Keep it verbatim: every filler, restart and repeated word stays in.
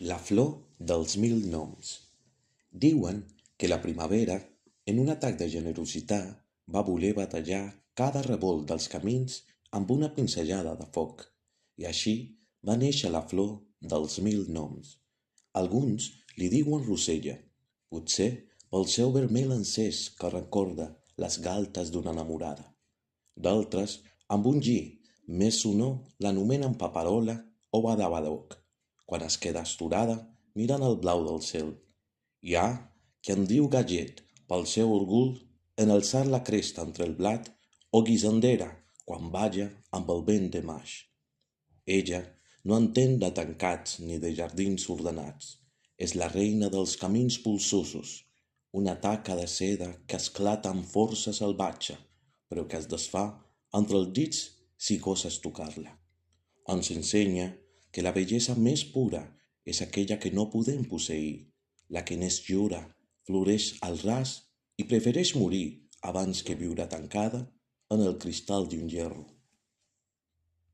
La flor dels mil noms. Diuen que la primavera, en un atac de generositat, va voler batallar cada revolt dels camins amb una pinzellada de foc, i així va néixer la flor dels mil noms. Alguns li diuen rosella, potser pel seu vermell encès que recorda les galtes d'una enamorada. D'altres, amb un gi més sonor, l'anomenen paperola o badabadoc, quan es queda esturada mirant el blau del cel. Hi ha qui en diu gallet pel seu orgull en alçar la cresta entre el blat, o guisandera quan balla amb el vent de maig. Ella no entén de tancats ni de jardins ordenats. És la reina dels camins polsosos, una taca de seda que esclata amb força salvatge, però que es desfà entre els dits si goses tocar-la. Ens ensenya que la bellesa més pura és aquella que no podem posseir, la que n'és lliure, floreix al ras i prefereix morir abans que viure tancada en el cristall d'un gerro.